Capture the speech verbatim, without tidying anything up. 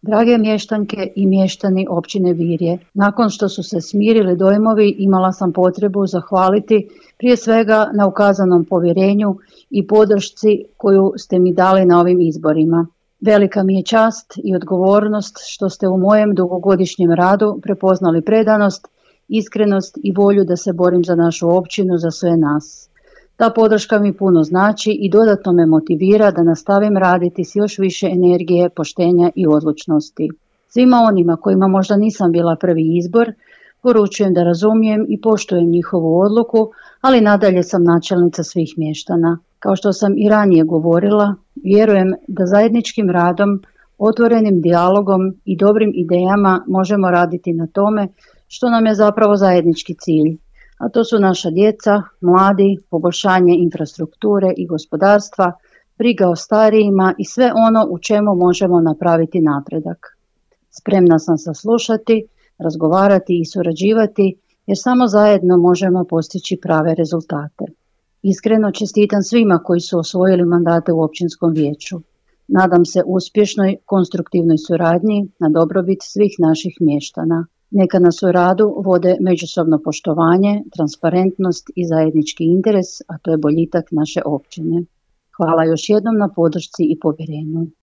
Drage mještanke i mještani općine Virje, nakon što su se smirili dojmovi, imala sam potrebu zahvaliti prije svega na ukazanom povjerenju i podršci koju ste mi dali na ovim izborima. Velika mi je čast i odgovornost što ste u mojem dugogodišnjem radu prepoznali predanost, iskrenost i volju da se borim za našu općinu, za sve nas. Ta podrška mi puno znači i dodatno me motivira da nastavim raditi s još više energije, poštenja i odlučnosti. Svima onima kojima možda nisam bila prvi izbor, poručujem da razumijem i poštujem njihovu odluku, ali nadalje sam načelnica svih mještana. Kao što sam i ranije govorila, vjerujem da zajedničkim radom, otvorenim dijalogom i dobrim idejama možemo raditi na tome što nam je zapravo zajednički cilj. A to su naša djeca, mladi, poboljšanje infrastrukture i gospodarstva, briga o starijima i sve ono u čemu možemo napraviti napredak. Spremna sam saslušati, razgovarati i surađivati jer samo zajedno možemo postići prave rezultate. Iskreno čestitam svima koji su osvojili mandate u općinskom vijeću. Nadam se uspješnoj, konstruktivnoj suradnji na dobrobit svih naših mještana. Neka nas u radu vode međusobno poštovanje, transparentnost i zajednički interes, a to je boljitak naše općine. Hvala još jednom na podršci i povjerenju.